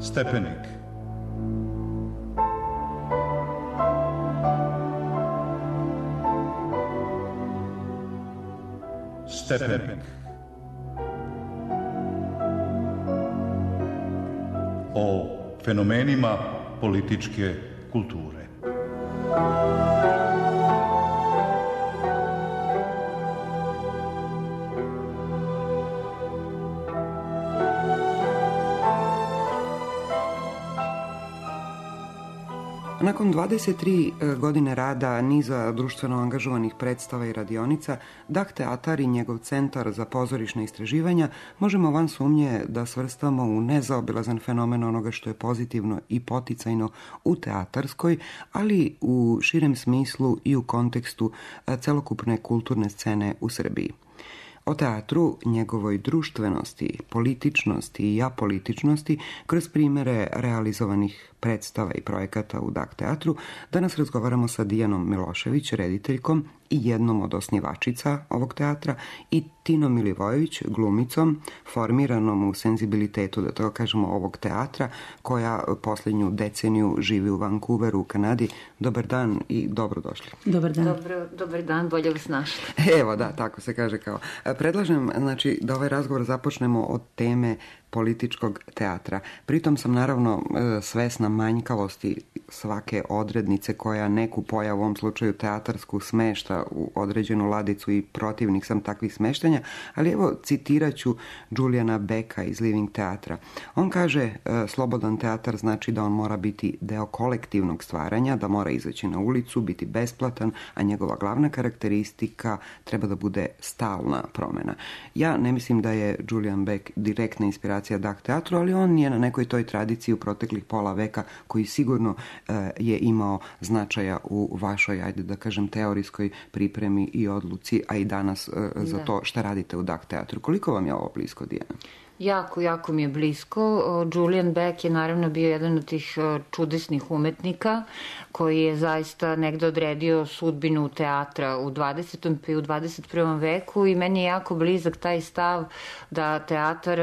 Stepenik. Stepenik. O fenomenima političke kulture. Nakon 23 godine rada niza društveno angažovanih predstava i radionica, Dah teatar i njegov centar za pozorišna istraživanja možemo van sumnje da svrstamo u nezaobilazan fenomen onoga što je pozitivno i poticajno u teatarskoj, ali u širem smislu i u kontekstu celokupne kulturne scene u Srbiji. O teatru, njegovoj društvenosti, političnosti i apolitičnosti kroz primere realizovanih predstava i projekata u Dah teatru danas razgovaramo sa Dijanom Milošević, rediteljkom i jednom od osnivačica ovog teatra, i Tinom Milivojević, glumicom, formiranom u senzibilitetu, da tako kažemo, ovog teatra, koja posljednju deceniju živi u Vancouveru u Kanadi. Dobar dan i dobrodošli. Dobar dan. Dobar dan, bolje vas našli. Evo, da, tako se kaže kao. Predlažem, znači, da ovaj razgovor započnemo od teme političkog teatra. Pritom sam naravno svesna manjkavosti svake odrednice koja neku pojavu, u ovom slučaju teatarsku, smešta u određenu ladicu i protivnik sam takvih smeštanja, ali evo citirat ću Juliana Becka iz Living teatra. On kaže, slobodan teatar znači da on mora biti deo kolektivnog stvaranja, da mora izaći na ulicu, biti besplatan, a njegova glavna karakteristika treba da bude stalna promjena. Ja ne mislim da je Julian Beck direktna inspiracija Dah teatru, ali on je na nekoj toj tradiciji u proteklih pola veka koji sigurno je imao značaja u vašoj, ajde da kažem, teorijskoj pripremi i odluci, a i danas za to šta radite u Dah teatru. Koliko vam je ovo blisko, Dijana? Jako mi je blisko. Julian Beck je naravno bio jedan od tih čudesnih umetnika koji je zaista negde odredio sudbinu teatra u 20. pa i u 21. veku i meni je jako blizak taj stav da teatar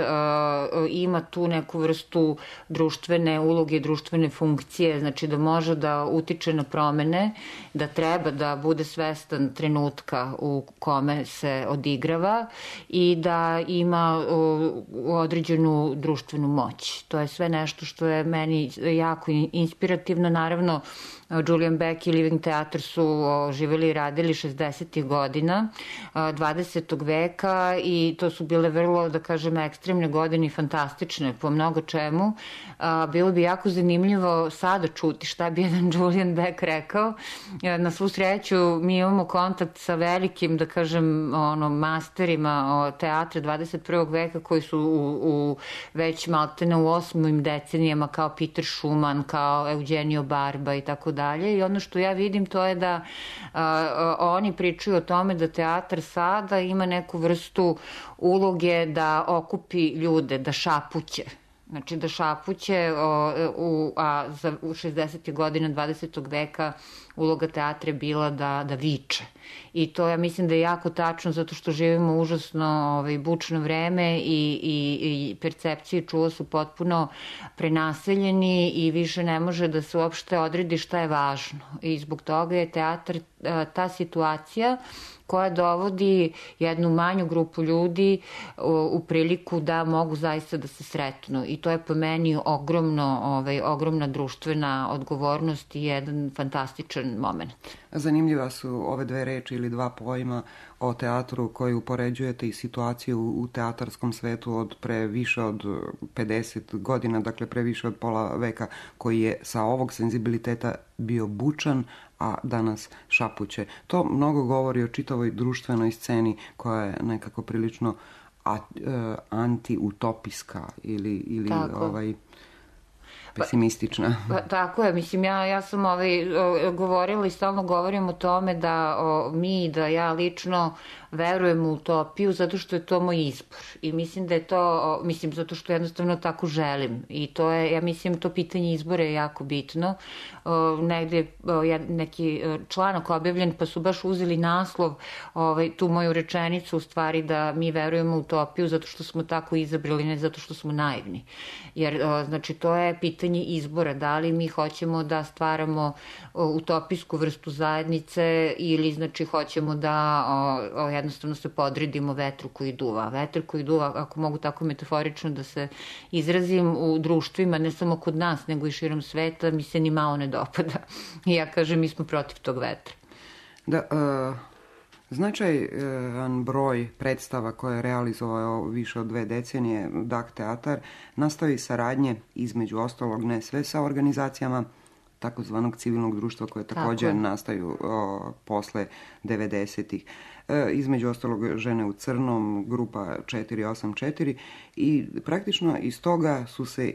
ima tu neku vrstu društvene uloge, društvene funkcije, znači da može da utiče na promene, da treba da bude svestan trenutka u kome se odigrava i da ima određenu društvenu moć. To je sve nešto što je meni jako inspirativno. Naravno, Julian Beck i Living teatar su živjeli i radili 60. godina 20. veka i to su bile vrlo, da kažem, ekstremne godine i fantastične po mnogo čemu. Bilo bi jako zanimljivo sada čuti šta bi jedan Julian Beck rekao. Na svu sreću mi imamo kontakt sa velikim, da kažem, masterima teatra 21. veka koji su u već maltene u 8. decenijama, kao Peter Schumann, kao Eugenio Barba i tako dalje. I ono što ja vidim to je da oni pričaju o tome da teatar sada ima neku vrstu uloge da okupi ljude, da šapuće. Znači da šapuće, a u 60. godina 20. veka uloga teatra je bila da viče. I to ja mislim da je jako tačno zato što živimo užasno bučno vreme i percepcije i čulo su potpuno prenaseljeni i više ne može da se uopšte odredi šta je važno. I zbog toga je teatar ta situacija koja dovodi jednu manju grupu ljudi u priliku da mogu zaista da se sretnu. I to je po meni ogromna društvena odgovornost i jedan fantastičan moment. Zanimljiva su ove dve reči ili dva pojma o teatru koji upoređujete i situaciju u teatarskom svetu od pre više od 50 godina, dakle pre više od pola veka, koji je sa ovog senzibiliteta bio bučan, a danas šapuće. To mnogo govori o čitavoj društvenoj sceni koja je nekako prilično anti-utopijska ili pesimistična. Tako je, mislim, ja sam govorila i stalno govorim o tome da mi, da ja lično verujem u utopiju zato što je to moj izbor i mislim da je to, zato što jednostavno tako želim i to je, ja mislim, to pitanje izbora je jako bitno. Negde je neki članak objavljen pa su baš uzeli naslov, tu moju rečenicu u stvari da mi verujemo u utopiju zato što smo tako izabrali, ne zato što smo naivni. Jer, znači, to je pitanje izbora, da li mi hoćemo da stvaramo utopijsku vrstu zajednice ili, znači, hoćemo da jednostavno se podredimo vetru koji duva. Vetar koji duva, ako mogu tako metaforično da se izrazim, u društvima, ne samo kod nas, nego i širom sveta, mi se ni malo ne dopada. I ja kažem, mi smo protiv tog vetra. Da, značajan broj predstava koje je realizovao više od 2 decenije DAK teatar nastavi saradnje, između ostalog ne sve, sa organizacijama takozvanog civilnog društva koje također nastaju posle 90-ih. Između ostalog Žene u crnom, grupa 484 i praktično iz toga su se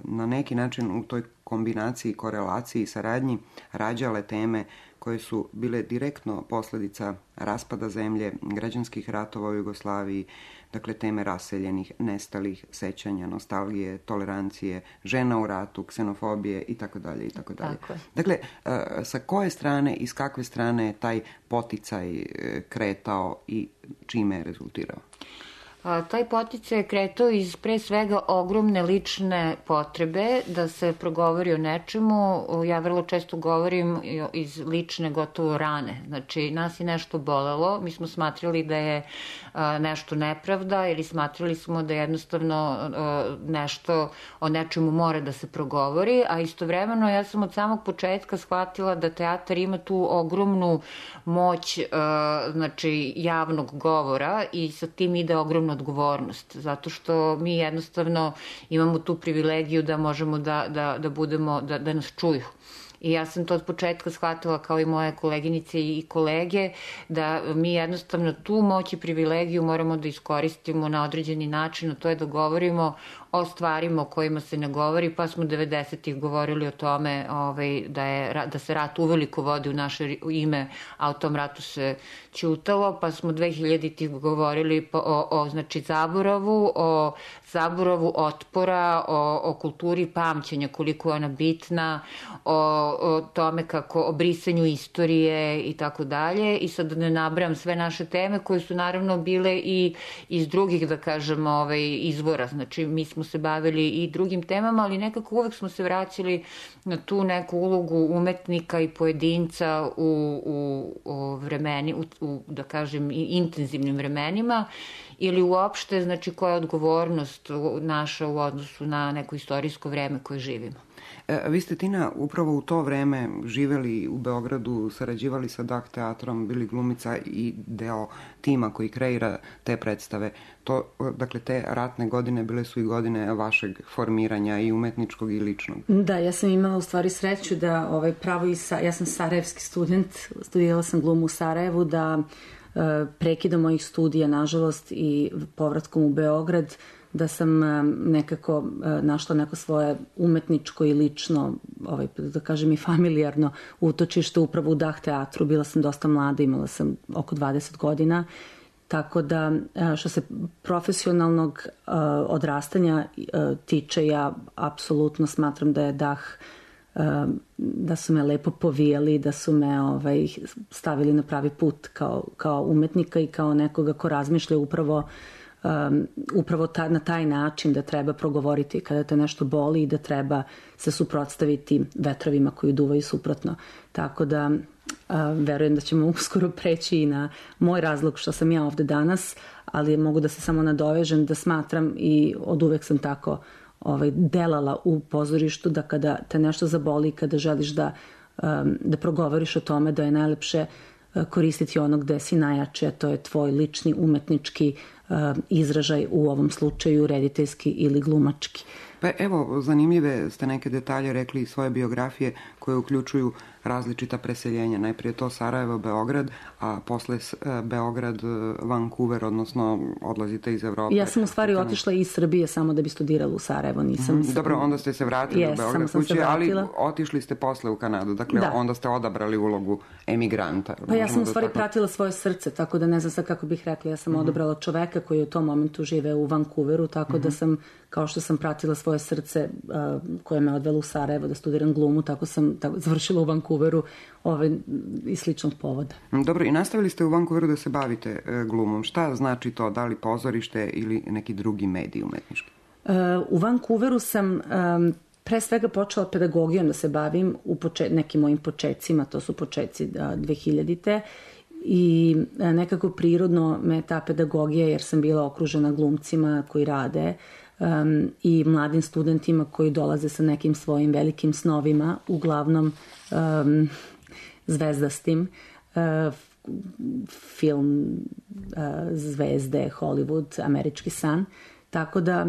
na neki način u toj kombinaciji, korelaciji i saradnji rađale teme koje su bile direktno posljedica raspada zemlje, građanskih ratova u Jugoslaviji, dakle teme raseljenih, nestalih, sećanja, nostalgije, tolerancije, žena u ratu, ksenofobije itd. itd. Dakle, sa koje strane i s kakve strane je taj poticaj kretao i čime je rezultirao? Taj poticaj je kretao iz pre svega ogromne lične potrebe da se progovori o nečemu. Ja vrlo često govorim iz lične gotovo rane. Znači, nas je nešto bolelo, mi smo smatrali da je nešto nepravda ili smatrali smo da jednostavno nešto o nečemu mora da se progovori, a istovremeno ja sam od samog početka shvatila da teatar ima tu ogromnu moć, znači, javnog govora i sa tim ide ogromno odgovornost, zato što mi jednostavno imamo tu privilegiju da možemo da budemo, da nas čuju. I ja sam to od početka shvatila kao i moje koleginice i kolege, da mi jednostavno tu moć i privilegiju moramo da iskoristimo na određeni način, a to je da govorimo o stvarima o kojima se ne govori, pa smo 90-ih govorili o tome da se rat uveliko vodi u naše ime, a o tom ratu se ćutalo, pa smo 2000-ih govorili o znači, zaboravu otpora, o kulturi pamćenja, koliko je ona bitna, o tome kako, o brisanju istorije i tako dalje. I sad ne nabrajam sve naše teme koje su naravno bile i iz drugih, da kažem, izvora. Znači, mi smo se bavili i drugim temama, ali nekako uvek smo se vraćali na tu neku ulogu umetnika i pojedinca u vremeni, da kažem, intenzivnim vremenima, ili uopšte, znači, koja je odgovornost naša u odnosu na neko istorijsko vreme koje živimo. Vi ste, Tina, upravo u to vreme živeli u Beogradu, sarađivali sa DAK teatrom, bili glumica i deo tima koji kreira te predstave. Dakle, te ratne godine bile su i godine vašeg formiranja i umetničkog i ličnog. Da, ja sam imala u stvari sreću da ja sam sarajevski student, studirala sam glumu u Sarajevu, da prekidom mojih studija, nažalost, i povratkom u Beograd, da sam nekako našla neko svoje umetničko i lično, da kažem i familijarno utočište upravo u DAK teatru. Bila sam dosta mlada, imala sam oko 20 godina, tako da što se profesionalnog odrastanja tiče, ja apsolutno smatram da je DAK, da su me lepo povijali, da su me stavili na pravi put kao umetnika i kao nekoga ko razmišlja upravo na taj način da treba progovoriti kada te nešto boli i da treba se suprotstaviti vetrovima koji duvaju suprotno. Tako da verujem da ćemo uskoro preći i na moj razlog što sam ja ovde danas, ali mogu da se samo nadovežem da smatram i od uvek sam tako delala u pozorištu, da kada te nešto zaboli, kada želiš da progovoriš o tome, da je najlepše koristiti onog gde si najjače, to je tvoj lični umetnički izražaj, u ovom slučaju rediteljski ili glumački. Pa evo, zanimljive ste neke detalje rekli iz svoje biografije koje uključuju različita preseljenja. Najprije to Sarajevo, Beograd, a posle Beograd, Vancouver, odnosno odlazite iz Evrope. Ja sam u stvari otišla iz Srbije samo da bi studirala u Sarajevo. Dobro, onda ste se vratili u Beograd kući, ali otišli ste posle u Kanadu. Dakle, onda ste odabrali ulogu emigranta. Pa ja sam u stvari pratila svoje srce, tako da ne znam sad kako bih rekla. Ja sam odabrala čoveka koji u tom momentu žive u Vancouveru, tako da sam, kao što sam pratila svoje srce koje me odvelo u Sarajevo da studiram glumu, tako sam završila u Vancouveru iz sličnog povoda. Dobro, i nastavili ste u Vancouveru da se bavite glumom. Šta znači to? Da li pozorište ili neki drugi medij umetnički? U Vancouveru sam pre svega počela pedagogijom da se bavim u nekim mojim počecima, to su počeci 2000-te, i nekako prirodno me ta pedagogija, jer sam bila okružena glumcima koji rade i mladim studentima koji dolaze sa nekim svojim velikim snovima, uglavnom zvezdastim, film zvezde, Hollywood, američki san. Tako da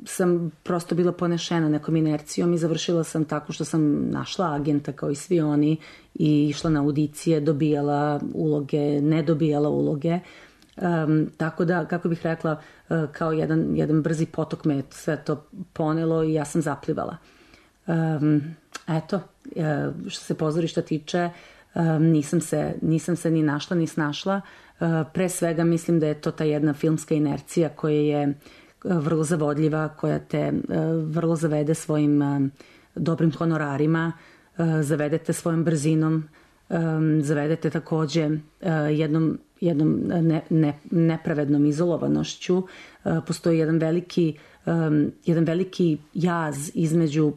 sam prosto bila ponešena nekom inercijom i završila sam tako što sam našla agenta kao i svi oni i išla na audicije, dobijala uloge, ne dobijala uloge. Tako da, kako bih rekla, kao jedan brzi potok me sve to ponelo i ja sam zaplivala. Eto, što se pozorišta tiče, nisam se ni našla ni snašla. Pre svega mislim da je to ta jedna filmska inercija koja je vrlo zavodljiva, koja te vrlo zavede svojim dobrim honorarima, zavedete svojom brzinom, zavedete takođe jednom nepravednom izolowanošću. Postoji jedan veliki jaz između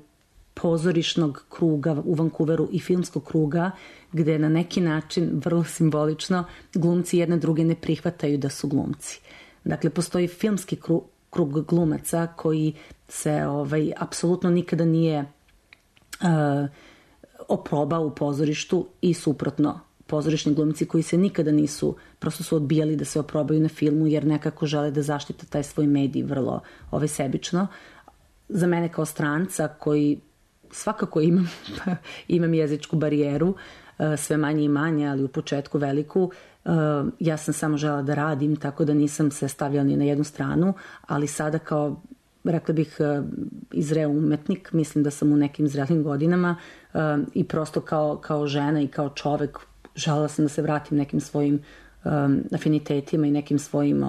pozorišnog kruga u Vancouveru i filmskog kruga, gde na neki način, vrlo simbolično, glumci jedne druge ne prihvataju da su glumci. Dakle, postoji filmski krug glumaca koji se apsolutno nikada nije oprobao u pozorištu i suprotno. Pozorišni glumci koji se nikada nisu, prosto su odbijali da se oprobaju na filmu jer nekako žele da zaštite taj svoj medij vrlo sebično. Za mene kao stranca koji svakako imam jezičku barijeru, sve manje i manje, ali u početku veliku, ja sam samo žela da radim, tako da nisam se stavljala ni na jednu stranu, ali sada kao, rekla bih, izreo umetnik, mislim da sam u nekim zrelim godinama i prosto kao žena i kao čovek želela sam da se vratim nekim svojim afinitetima i nekim svojim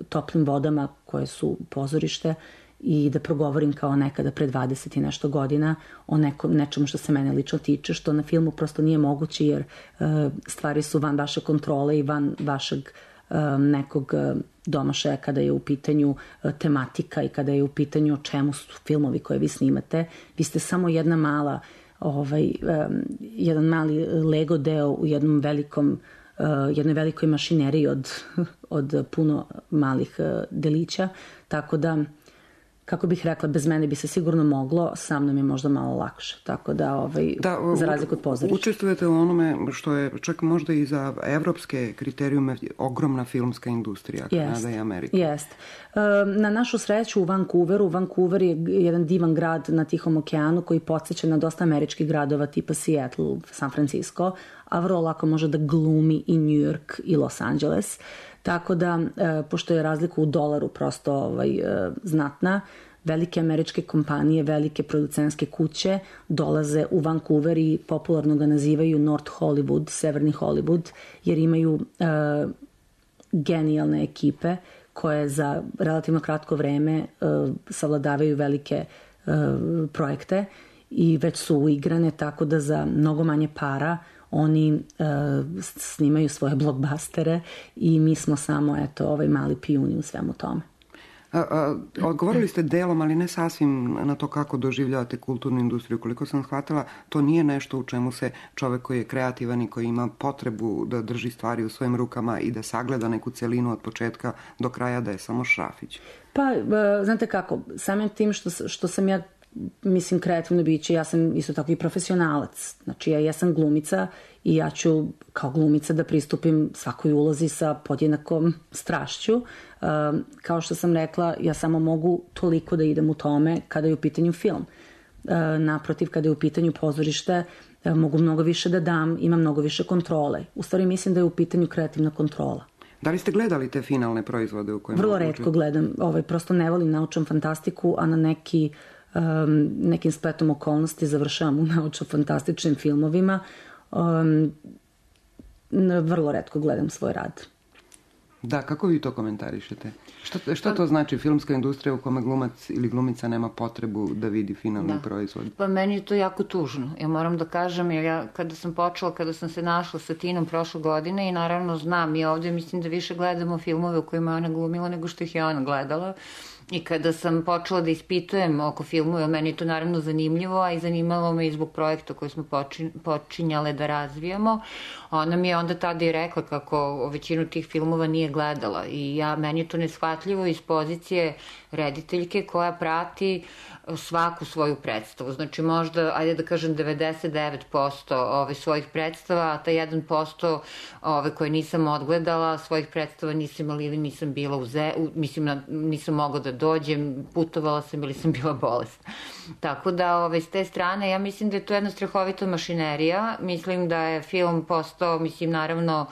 toplim vodama koje su pozorište i da progovorim kao nekada pre 20 i nešto godina o nečemu što se mene lično tiče, što na filmu prosto nije moguće jer stvari su van vaše kontrole i van vašeg nekog domašaja kada je u pitanju tematika i kada je u pitanju o čemu su filmovi koje vi snimate. Vi ste samo jedan mali Lego deo u jednoj velikoj mašineriji od puno malih delića, tako da, kako bih rekla, bez mene bi se sigurno moglo, sa mnom je možda malo lakše, tako da, za razliku od pozorišta. Učestvujete u onome što je čak možda i za evropske kriterijume ogromna filmska industrija, Kanada i Amerika. Jest. Na našu sreću u Vancouver je jedan divan grad na Tihom okeanu koji podsjeća na dosta američkih gradova tipa Seattle, San Francisco, a vrlo lako može da glumi i New York i Los Angeles. Tako da, pošto je razlika u dolaru prosto znatna, velike američke kompanije, velike producentske kuće dolaze u Vancouver i popularno ga nazivaju North Hollywood, Severni Hollywood, jer imaju genijalne ekipe koje za relativno kratko vreme savladavaju velike projekte i već su uigrane, tako da za mnogo manje para oni snimaju svoje blockbustere i mi smo samo mali pijuni u svemu tome. Odgovorili ste delom, ali ne sasvim na to kako doživljavate kulturnu industriju. Koliko sam shvatila, to nije nešto u čemu se čovek koji je kreativan i koji ima potrebu da drži stvari u svojim rukama i da sagleda neku celinu od početka do kraja, da je samo šrafić. Pa, znate kako, samim tim što sam ja, mislim, kreativno biće, ja sam isto tako i profesionalac. Znači, ja sam glumica i ja ću kao glumica da pristupim svakoj ulozi sa podjednakom strašću. Kao što sam rekla, ja samo mogu toliko da idem u tome kada je u pitanju film. naprotiv, kada je u pitanju pozorište, mogu mnogo više da dam, imam mnogo više kontrole. U stvari mislim da je u pitanju kreativna kontrola. Da li ste gledali te finalne proizvode u kojima... Vrlo retko gledam, prosto ne volim naučnu fantastiku, a na nekim spletom okolnosti završavam u naučno-fantastičnim filmovima. Vrlo retko gledam svoj rad. Da, kako vi to komentarišete? Što to znači filmska industrija u kome glumac ili glumica nema potrebu da vidi finalni proizvod? Pa meni je to jako tužno. Ja moram da kažem, jer ja kada sam se našla sa Tinom prošle godine i naravno znam, i ovde mislim da više gledamo filmove u kojima je ona glumila nego što ih je ona gledala. I kada sam počela da ispitujem oko filmova, meni je to naravno zanimljivo, a i zanimalo me i zbog projekta koji smo počinjale da razvijamo, ona mi je onda tada i rekla kako većinu tih filmova nije gledala i meni je to neshvatljivo iz pozicije rediteljke koja prati svaku svoju predstavu. Znači možda, ajde da kažem 99% svojih predstava, a ta 1% koje nisam odgledala, svojih predstava nisam imala ili nisam bila nisam mogla da dođem, putovala sam ili sam bila bolesna. Tako da s te strane ja mislim da je to jedna strahovita mašinerija. Mislim da je film postao, mislim naravno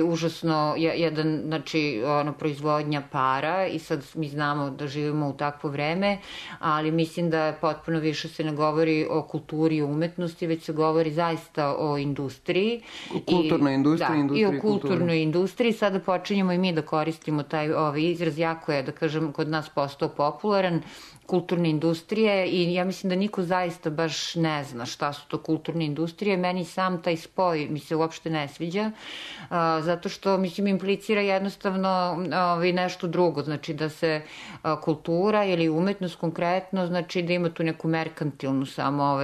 užasno jedan, znači proizvodnja para i sad mi znamo da živimo u takvo vreme, ali mislim da potpuno više se ne govori o kulturi i umetnosti, već se govori zaista o industriji. O kulturnoj industriji, industriji kulture. I o kulturnoj industriji. Sada počinjemo i mi da koristimo taj izraz, jako je, da kažem, kod nas postao popularan, kulturne industrije i ja mislim da niko zaista baš ne zna šta su to kulturne industrije. Meni sam taj spoj mi se uopšte ne sviđa, zato što, mislim, implicira jednostavno nešto drugo, znači da se kultura ili umetnost konkretno, znači da ima tu neku merkantilnu samo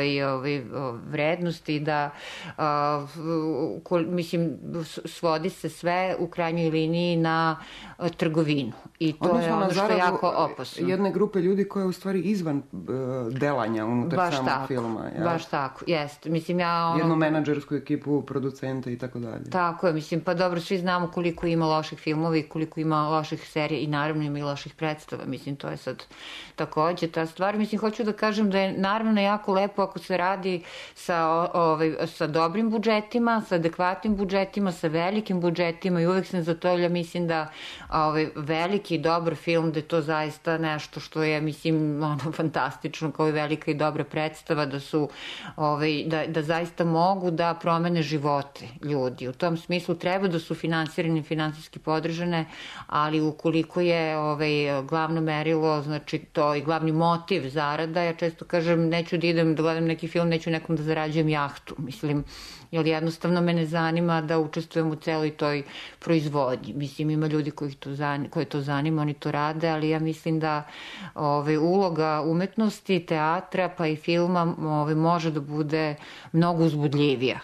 vrednost i da, mislim, svodi se sve u krajnjoj liniji na trgovinu. I to je ono što je jako opasno. Jedne grupe ljudi koje je u stvari izvan delanja unutar samog filma. Baš tako, jeste. Mislim, jednu menadžersku ekipu, producenta i tako dalje. Tako je, mislim, pa dobro, svi znamo koliko ima loših filmova i koliko ima loših serija i naravno ima i loših predstava. Mislim, to je sad takođe ta stvar. Mislim, hoću da kažem da je naravno jako lepo ako se radi sa dobrim budžetima, sa adekvatnim budžetima, sa velikim budžetima i uvek sam za to, ja mislim da veliki i dobar film, da je to zaista nešto što je, mislim, fantastično, kao i velika i dobra predstava, da su, da zaista mogu da promene živote ljudi. U tom smislu treba da su finansirane i finansijski podržane, ali ukoliko je glavno merilo, znači to i glavni motiv zarada, ja često kažem, neću da idem da gledam neki film, neću nekom da zarađujem jahtu, mislim, jer jednostavno me ne zanima da učestvujem u celoj toj proizvodnji. Mislim, ima ljudi koji to zanima, oni to rade, ali ja mislim da uloga umetnosti, teatra pa i filma može da bude mnogo uzbudljivija.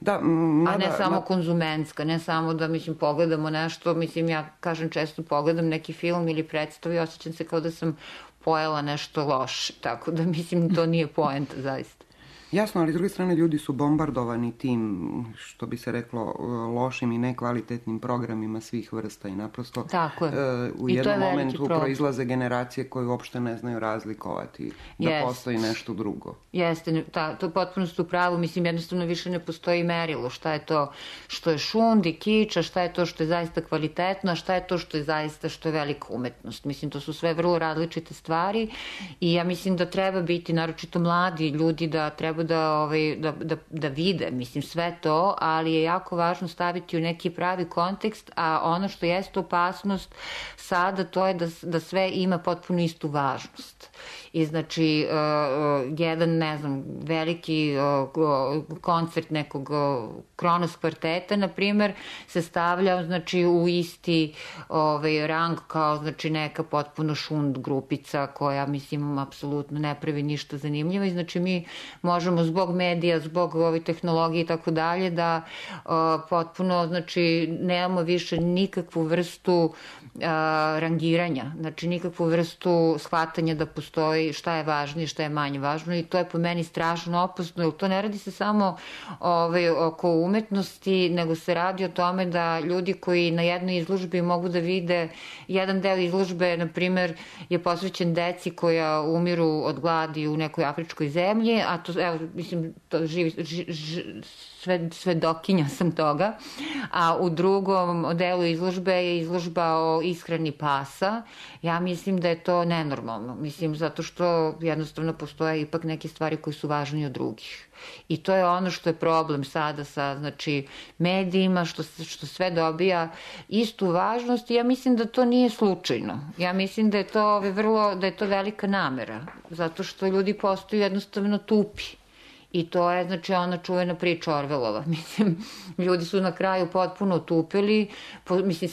A ne samo konzumentska, ne samo da, mislim, pogledamo nešto, mislim, ja kažem često pogledam neki film ili predstavu i osjećam se kao da sam pojela nešto loše, tako da, mislim, to nije poenta, zaista. Jasno, ali s druge strane ljudi su bombardovani tim, što bi se reklo, lošim i nekvalitetnim programima svih vrsta i naprosto u jednom momentu proizlaze generacije koje uopšte ne znaju razlikovati da postoji nešto drugo. Jeste, to potpuno ste u pravu, mislim, jednostavno više ne postoji merilo šta je to što je šund i kiča, šta je to što je zaista kvalitetno, a šta je to što je zaista što je velika umetnost. Mislim, to su sve vrlo različite stvari i ja mislim da treba biti, naročito mladi ljudi, da treba da vide, mislim, sve to, ali je jako važno staviti u neki pravi kontekst, a ono što jeste opasnost sada, to je da sve ima potpuno istu važnost. I znači, jedan, ne znam, veliki koncert nekog Kronos kvarteta, na primer, se stavlja, znači, u isti rang kao, znači, neka potpuno šund grupica koja, mislim, apsolutno ne pravi ništa zanimljivo i znači mi možemo zbog medija, zbog tehnologije i tako dalje da potpuno, znači, nemamo više nikakvu vrstu rangiranja, znači nikakvu vrstu shvatanja da postoji šta je važnije, šta je manje važno i to je po meni strašno opasno, jer to ne radi se samo oko umetnosti, nego se radi o tome da ljudi koji na jednoj izložbi mogu da vide jedan deo izložbe, na primer, je posvećen deci koja umiru od gladi u nekoj afričkoj zemlji, a to, evo, mislim, to svedokinja sam toga, a u drugom delu izložbe je izložba o ishrani pasa. Ja mislim da je to nenormalno, mislim, zato što jednostavno postoje ipak neke stvari koje su važnije od drugih. I to je ono što je problem sada sa, znači, medijima, što sve dobija istu važnost i ja mislim da to nije slučajno. Ja mislim da je to da je to velika namera, zato što ljudi postaju jednostavno tupi. I to je, znači, ona čuvena priča Orvelova. Mislim, ljudi su na kraju potpuno utupili, mislim,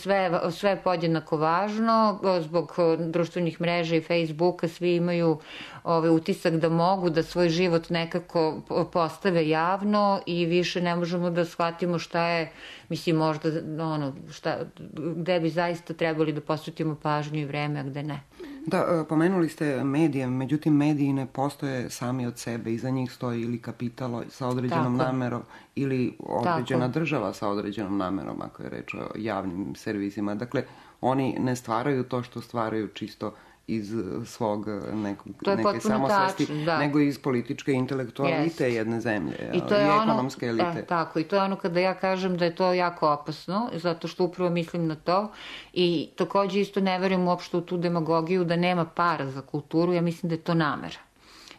sve je podjednako važno, zbog društvenih mreža i Facebooka svi imaju utisak da mogu da svoj život nekako postave javno i više ne možemo da shvatimo šta je, mislim, možda, gde bi zaista trebali da posvetimo pažnju i vreme, a gde ne. Da, pomenuli ste medije, međutim mediji ne postoje sami od sebe, iza njih stoji ili kapital sa određenom namerom ili određena država sa određenom namerom, ako je reč o javnim servisima. Dakle, oni ne stvaraju to što stvaraju čisto iz svog neke samosvesti, nego iz političke intelektualite jedne zemlje i ekonomske elite. Tako, i to je ono kada ja kažem da je to jako opasno, zato što upravo mislim na to i takođe isto ne verujem uopšte u tu demagogiju da nema para za kulturu, ja mislim da je to namera.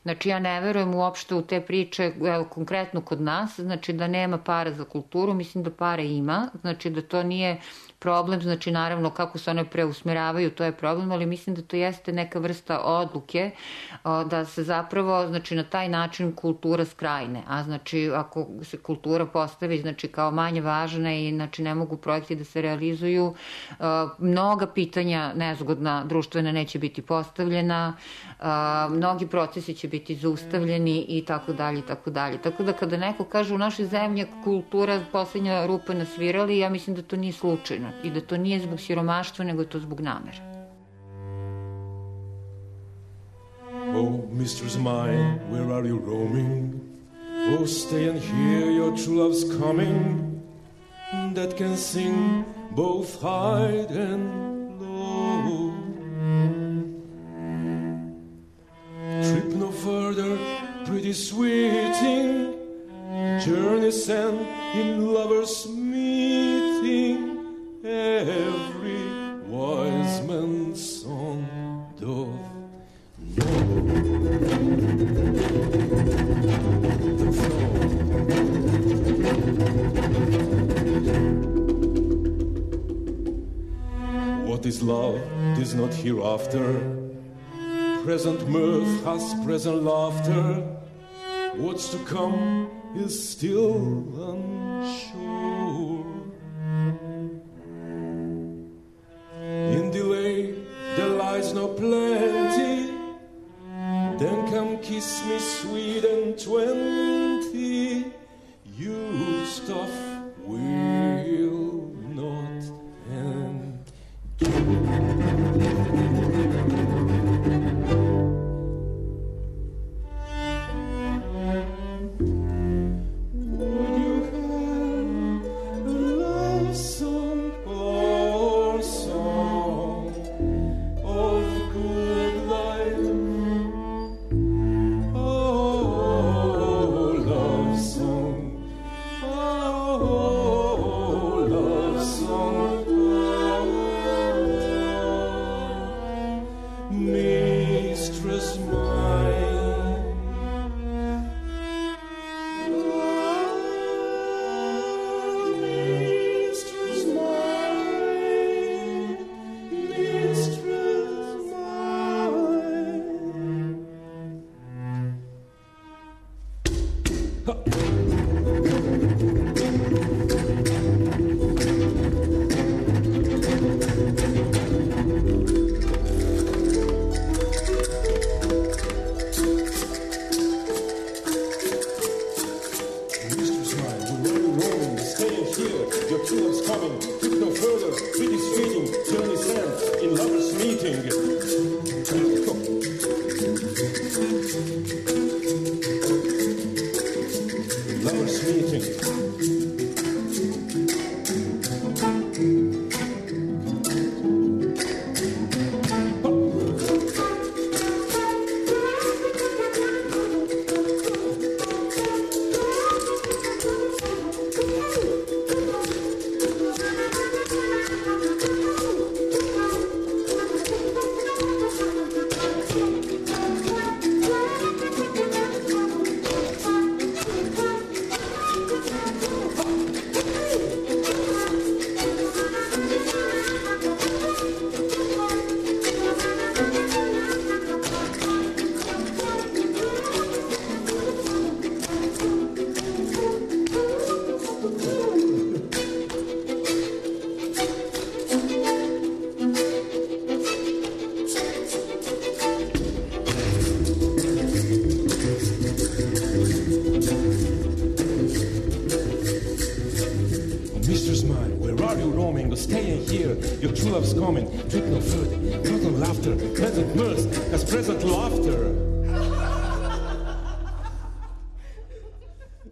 Znači, ja ne verujem uopšte u te priče, evo, konkretno kod nas, znači da nema para za kulturu, mislim da para ima, znači da to nije problem, znači naravno kako se one preusmeravaju, to je problem, ali mislim da to jeste neka vrsta odluke da se zapravo, znači na taj način kultura skrajne, a znači ako se kultura postavi, znači kao manje važna i znači ne mogu projekti da se realizuju, mnoga pitanja nezgodna društvena neće biti postavljena, mnogi procesi će biti zaustavljeni i tako dalje, i tako dalje. Tako da kada neko kaže u našoj zemlji kultura poslednja rupa na svirali, ja mislim da to nije slučajno i da to nije zbog siromaštva, nego je to zbog namera. Oh, mistress mine, where are you roaming? Oh, stay and hear your true love's coming, that can sing both high and low. Trip no further, pretty sweeting, journeys end in lovers' meeting. Every wise man's son doth know the throne. What is love? 'Tis not hereafter. Present mirth has present laughter. What's to come is still unsure. In delay there lies no plenty. Then come kiss me sweet and 20. You stuff will not end. Oh, stay and hear your true love's coming. Drink no food, not laughter, present mirth, as present laughter.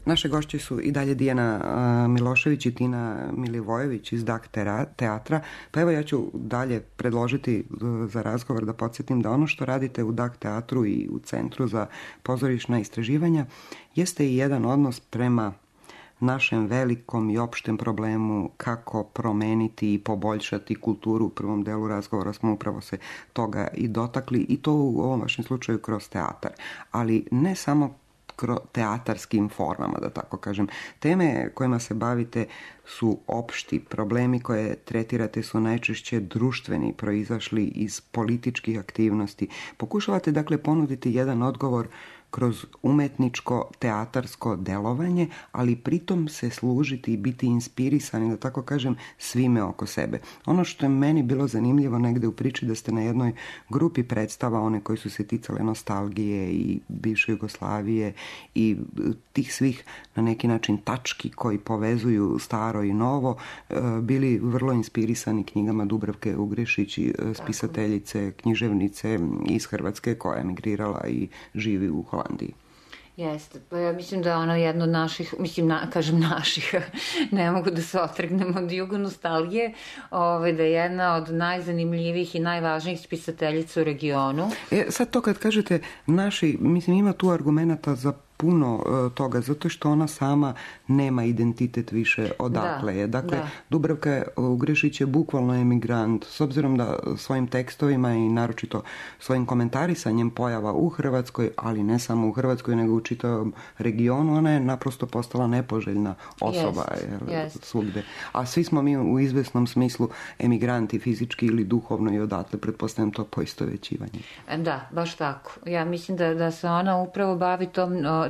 Naše gošće su i dalje Dijana Milošević i Tina Milivojević iz DAK teatra. Pa evo ja ću dalje predložiti za razgovor da podsjetim da ono što radite u DAK teatru i u Centru za pozorišna istraživanja jeste i jedan odnos prema našem velikom i opštem problemu kako promeniti i poboljšati kulturu. U prvom delu razgovora smo upravo se toga i dotakli i to u ovom vašem slučaju kroz teatar. Ali ne samo teatarskim formama, da tako kažem. Teme kojima se bavite su opšti, problemi koje tretirate su najčešće društveni, proizašli iz političkih aktivnosti. Pokušavate dakle ponuditi jedan odgovor kroz umetničko, teatarsko delovanje, ali pritom se služiti i biti inspirisani, da tako kažem, svime oko sebe. Ono što je meni bilo zanimljivo negde u priči da ste na jednoj grupi predstava, one koji su se ticale nostalgije i bivše Jugoslavije i tih svih na neki način tački koji povezuju staro i novo, bili vrlo inspirisani knjigama Dubravke Ugrešić, spisateljice, književnice iz Hrvatske koja je emigrirala i živi u Holandiji. Jeste, pa ja mislim da je ona jedna od naših, kažem naših, ne mogu da se otrgnem od jugonostalgije, da je jedna od najzanimljivijih i najvažnijih spisateljica u regionu. Sad to kad kažete naši, mislim ima tu argumenata za puno toga, zato što ona sama nema identitet više odakle je. Dakle, Dubravka Ugrešić je bukvalno emigrant, s obzirom da svojim tekstovima i naročito svojim komentarisanjem pojava u Hrvatskoj, ali ne samo u Hrvatskoj, nego u čitavom regionu, ona je naprosto postala nepoželjna osoba svugde. A svi smo mi u izvesnom smislu emigranti, fizički ili duhovno i odatle, pretpostavljam to poistovećivanje. Da, baš tako. Ja mislim da se ona upravo bavi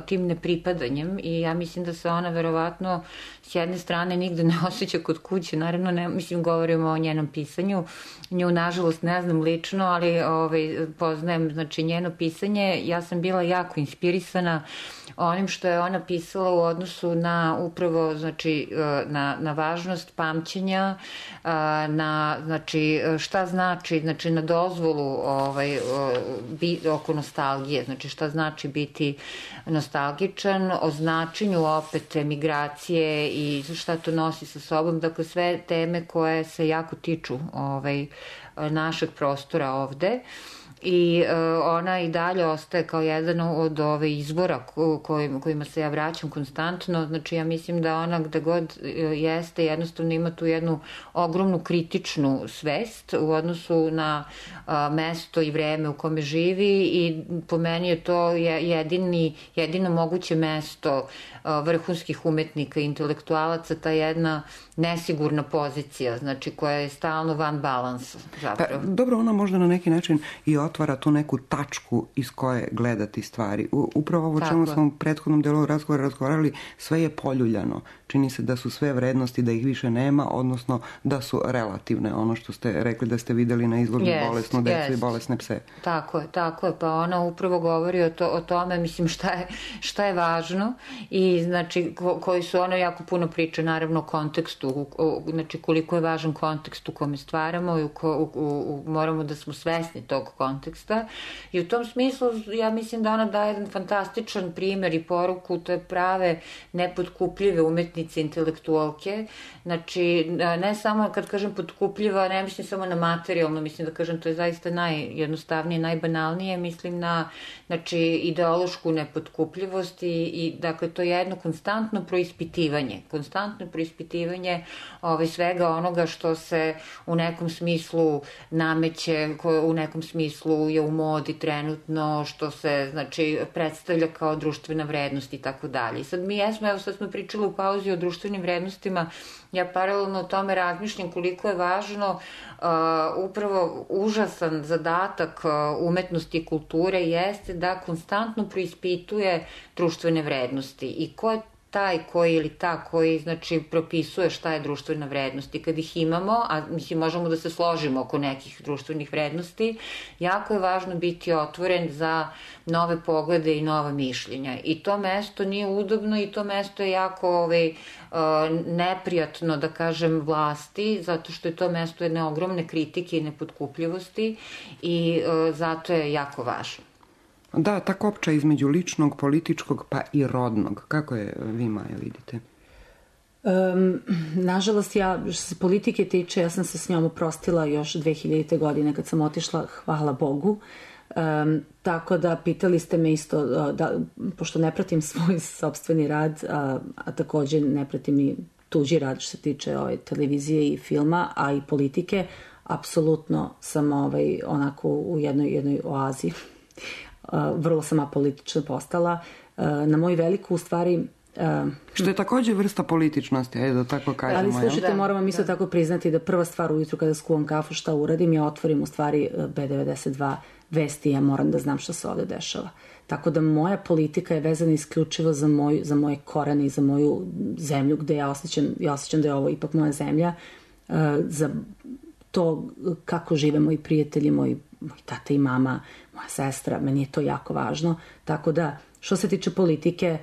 tim nepripadanjem i ja mislim da se ona verovatno s jedne strane nigde ne osjeća kod kuće, naravno ne, mislim govorimo o njenom pisanju, nju nažalost ne znam lično, ali poznajem znači njeno pisanje, ja sam bila jako inspirisana onim što je ona pisala u odnosu na upravo znači na važnost pamćenja, na znači šta znači na dozvolu oko nostalgije, znači šta znači biti nostalgičan, o značenju opet emigracije i šta to nosi sa sobom, dakle sve teme koje se jako tiču našeg prostora ovde. I ona i dalje ostaje kao jedan od izvora kojima se ja vraćam konstantno. Znači ja mislim da ona gde god jeste jednostavno ima tu jednu ogromnu kritičnu svest u odnosu na mesto i vreme u kome živi i po meni je to jedino moguće mesto vrhunskih umetnika i intelektualaca, ta jedna nesigurna pozicija, znači koja je stalno van balansa zapravo. Dobro, ona možda na neki način i otvara tu neku tačku iz koje gledati stvari. Upravo ovo čemu smo u prethodnom delu razgovarali, sve je poljuljano. Čini se da su sve vrednosti, da ih više nema, odnosno da su relativne. Ono što ste rekli da ste videli na izložbi bolesnu decu i bolesne pse. Tako je. Pa ona upravo govori o tome, mislim, šta je važno i znači koji su ono jako puno priče, naravno o kontekstu, znači koliko je važan kontekst u kome stvaramo i moramo da smo svesni tog konteksta i u tom smislu ja mislim da ona daje jedan fantastičan primer i poruku, to je prave nepotkupljive umetnice, intelektualke, znači ne samo kad kažem potkupljiva, ne mislim samo na materijalno, mislim da kažem to je zaista najjednostavnije, najbanalnije, mislim na znači ideološku nepotkupljivost i dakle to je jedno konstantno preispitivanje svega onoga što se u nekom smislu nameće, u nekom smislu je u modi trenutno, što se znači predstavlja kao društvena vrednost i tako dalje. I sad sad smo pričali u pauzi o društvenim vrednostima, ja paralelno o tome razmišljam koliko je važno upravo užasan zadatak umetnosti i kulture jeste da konstantno preispituje društvene vrednosti i ko je taj koji ili ta koji, znači, propisuje šta je društvena vrednost. I kad ih imamo, a mislim, možemo da se složimo oko nekih društvenih vrednosti, jako je važno biti otvoren za nove poglede i nova mišljenja. I to mesto nije udobno i to mesto je jako neprijatno, da kažem, vlasti, zato što je to mesto jedne ogromne kritike i nepotkupljivosti i zato je jako važno. Da, ta kopča između ličnog, političkog pa i rodnog. Kako je vi, Maja, vidite? Nažalost, ja, što se politike tiče, ja sam se s njom oprostila još 2000. godine kad sam otišla, hvala Bogu. Tako da pitali ste me isto, pošto ne pratim svoj sopstveni rad, a takođe ne pratim i tuđi rad što se tiče televizije i filma, a i politike, apsolutno sam onako u jednoj oazi. Vrlo sam apolitična postala. Na moju veliku, u stvari... Što je takođe vrsta političnosti, ajde da tako kažemo. Ali slušajte, moram vam isto tako priznati da prva stvar ujutru kada skuvam kafu, šta uradim, ja otvorim u stvari B92 vesti, ja moram da znam šta se ovde dešava. Tako da moja politika je vezana isključivo za moje korene i za moju zemlju, gde ja osjećam da je ovo ipak moja zemlja, za to kako žive moji prijatelji, moj tata i mama, moja sestra, meni je to jako važno. Tako da, što se tiče politike,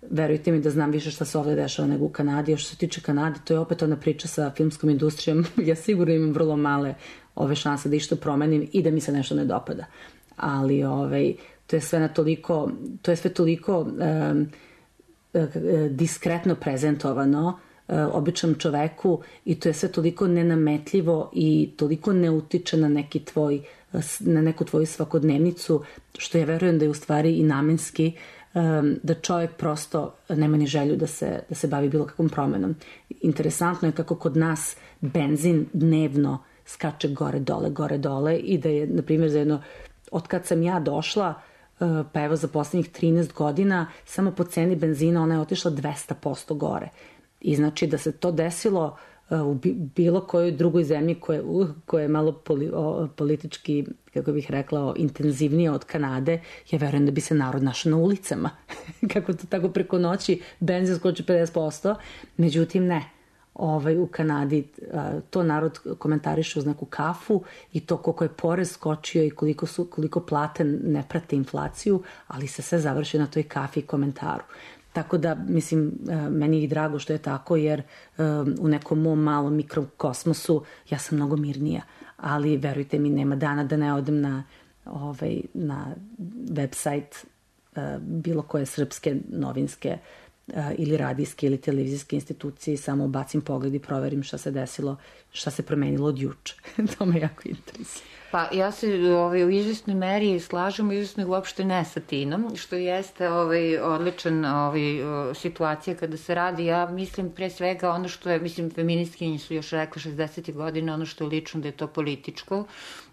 verujte mi da znam više šta se ovde dešava nego u Kanadi, a što se tiče Kanade, to je opet ona priča sa filmskom industrijom. Ja sigurno imam vrlo male ove šanse da išta promenim i da mi se nešto ne dopada. Ali to je sve toliko diskretno prezentovano običnom čoveku i to je sve toliko nenametljivo i toliko ne utiče na neku tvoju svakodnevnicu, što ja verujem da je u stvari i namenski, da čovjek prosto nema ni želju da se bavi bilo kakvom promenom. Interesantno je kako kod nas benzin dnevno skače gore dole i da je, na primjer, od kad sam ja došla, pa evo za poslednjih 13 godina, samo po ceni benzina ona je otišla 200% gore. I znači da se to desilo u bilo kojoj drugoj zemlji koja je malo politički, kako bih rekla, intenzivnija od Kanade, ja verujem da bi se narod našao na ulicama. Kako to tako preko noći benzin skoči 50%. Međutim, ne. U Kanadi to narod komentariše uz neku kafu i to koliko je porez skočio i koliko plate ne prate inflaciju, ali se sve završi na toj kafi i komentaru. Tako da, mislim, meni je i drago što je tako, jer u nekom mom malom mikrokosmosu ja sam mnogo mirnija. Ali, verujte mi, nema dana da ne odem na website bilo koje srpske novinske ili radijske ili televizijske institucije i samo bacim pogled i proverim šta se desilo, šta se promenilo od juče. To me jako interesuje. Pa ja se u izvesnoj meri slažem, u izvesnoj uopšte ne sa Tinom, što jeste odličan situacija kada se radi. Ja mislim pre svega ono što je, mislim, feministkinji su još rekli 60. godina, ono što je lično da je to političko.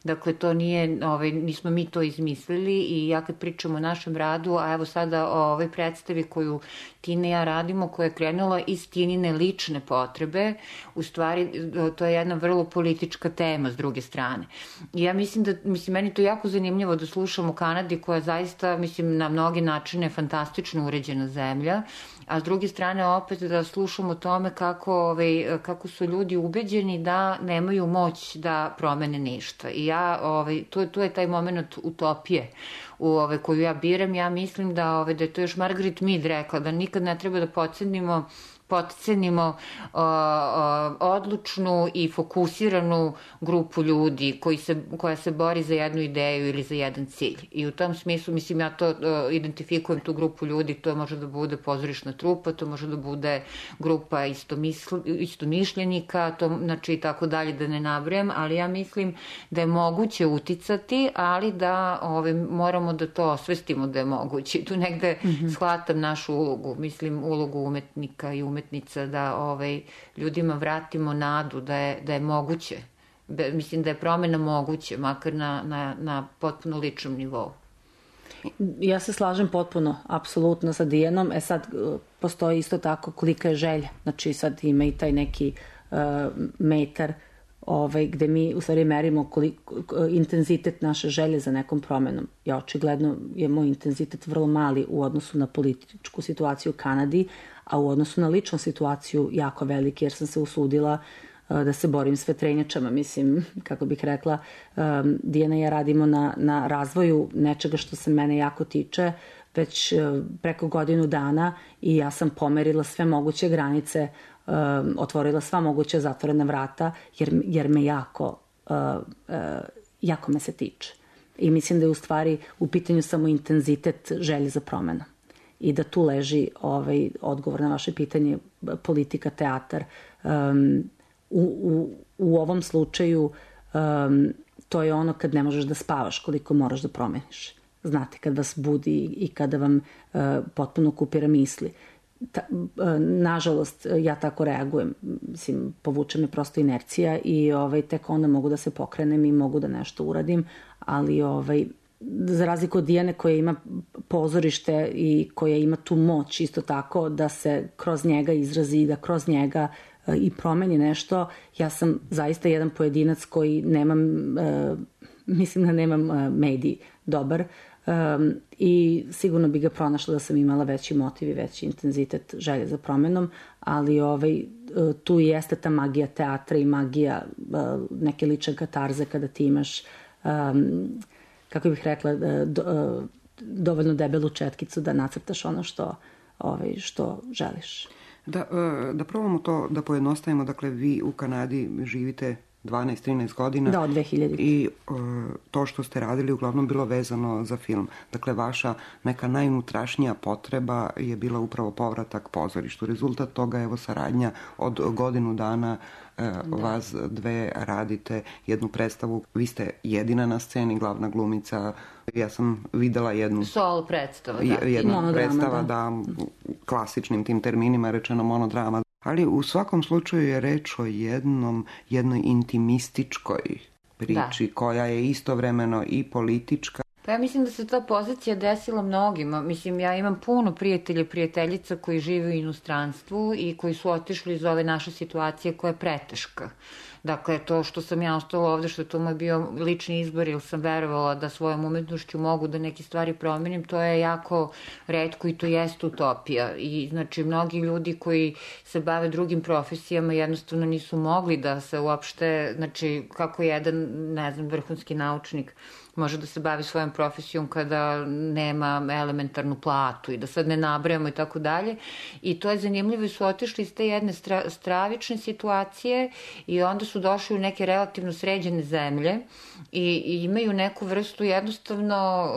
Dakle, to nije, nismo mi to izmislili i ja kad pričam o našem radu, a evo sada o ovoj predstavi koju Tina i ja radimo, koja je krenula iz Tinine lične potrebe, u stvari to je jedna vrlo politička tema s druge strane. I ja mislim da, meni to jako zanimljivo da slušam o Kanadi koja zaista, na mnogi načine fantastično uređena zemlja, a s druge strane opet da slušam o tome kako su ljudi ubeđeni da nemaju moć da promene ništa. I ja, to je taj moment utopije koju ja biram. Ja mislim da je to još Margaret Mead rekla, da nikad ne treba da potcenimo odlučnu i fokusiranu grupu ljudi koja se bori za jednu ideju ili za jedan cilj. I u tom smislu, ja to identifikujem tu grupu ljudi, to može da bude pozorišna trupa, to može da bude grupa istomišljenika, znači i tako dalje da ne nabrajam, ali ja mislim da je moguće uticati, ali da moramo da to osvestimo da je moguće. Tu negde shvatam našu ulogu, ulogu umetnika i umetnika, da ljudima vratimo nadu da je moguće. Mislim da je promena moguće, makar na potpuno ličnom nivou. Ja se slažem potpuno, apsolutno sa Dijanom. Sad postoji isto tako kolika je želja. Znači sad ima i taj neki metar gde mi u stvari merimo intenzitet naše želje za nekom promenom. Ja očigledno je moj intenzitet vrlo mali u odnosu na političku situaciju u Kanadi, a u odnosu na ličnu situaciju jako veliki, jer sam se usudila da se borim s vetrenjačama. Mislim, kako bih rekla, Dijana i ja radimo na razvoju nečega što se mene jako tiče već preko godinu dana i ja sam pomerila sve moguće granice, otvorila sva moguća zatvorena vrata, jer me jako me se tiče. I mislim da je u stvari u pitanju samo intenzitet želje za promenu. I da tu leži odgovor na vaše pitanje, politika, teatar. U ovom slučaju to je ono kad ne možeš da spavaš koliko moraš da promeniš. Znate, kad vas budi i kada vam potpuno kupira misli. Nažalost, ja tako reagujem. Mislim, povuče me prosto inercija i tek onda mogu da se pokrenem i mogu da nešto uradim, ali za razliku od Dijane koja ima pozorište i koja ima tu moć isto tako da se kroz njega izrazi i da kroz njega i promeni nešto, ja sam zaista jedan pojedinac koji mislim da nemam medij dobar i sigurno bi ga pronašla da sam imala veći motiv i veći intenzitet želje za promenom, ali tu jeste ta magija teatra i magija neke lične katarze kada ti imaš, kako bih rekla, dovoljno debelu četkicu da nacrtaš ono što želiš. Da probamo to da pojednostavimo, dakle vi u Kanadi živite 12-13 godina. Da, od 2000. I to što ste radili uglavnom bilo vezano za film. Dakle, vaša neka najunutrašnija potreba je bila upravo povratak pozorištu. Rezultat toga je saradnja od godinu dana. Vas dve radite jednu predstavu. Vi ste jedina na sceni, glavna glumica. Ja sam videla jednu... Solo predstava, da. Jedna predstava, da, klasičnim tim terminima rečeno monodrama. Ali u svakom slučaju je reč o jednoj intimističkoj priči koja je istovremeno i politička. Pa ja mislim da se ta pozicija desila mnogima. Mislim, ja imam puno prijatelja i prijateljica koji žive u inostranstvu i koji su otišli iz ove naše situacije koja je preteška. Dakle, to što sam ja ostala ovde, što to moj bio lični izbor ili sam verovala da svojom umetnošću mogu da neke stvari promenim, to je jako retko i to jeste utopija. I znači, mnogi ljudi koji se bave drugim profesijama jednostavno nisu mogli da se uopšte, znači, kako jedan, ne znam, vrhunski naučnik može da se bavi svojom profesijom kada nema elementarnu platu i da sad ne nabrajamo i tako dalje. I to je zanimljivo i su otišli iz te jedne stravične situacije i onda su došli u neke relativno sređene zemlje i imaju neku vrstu jednostavno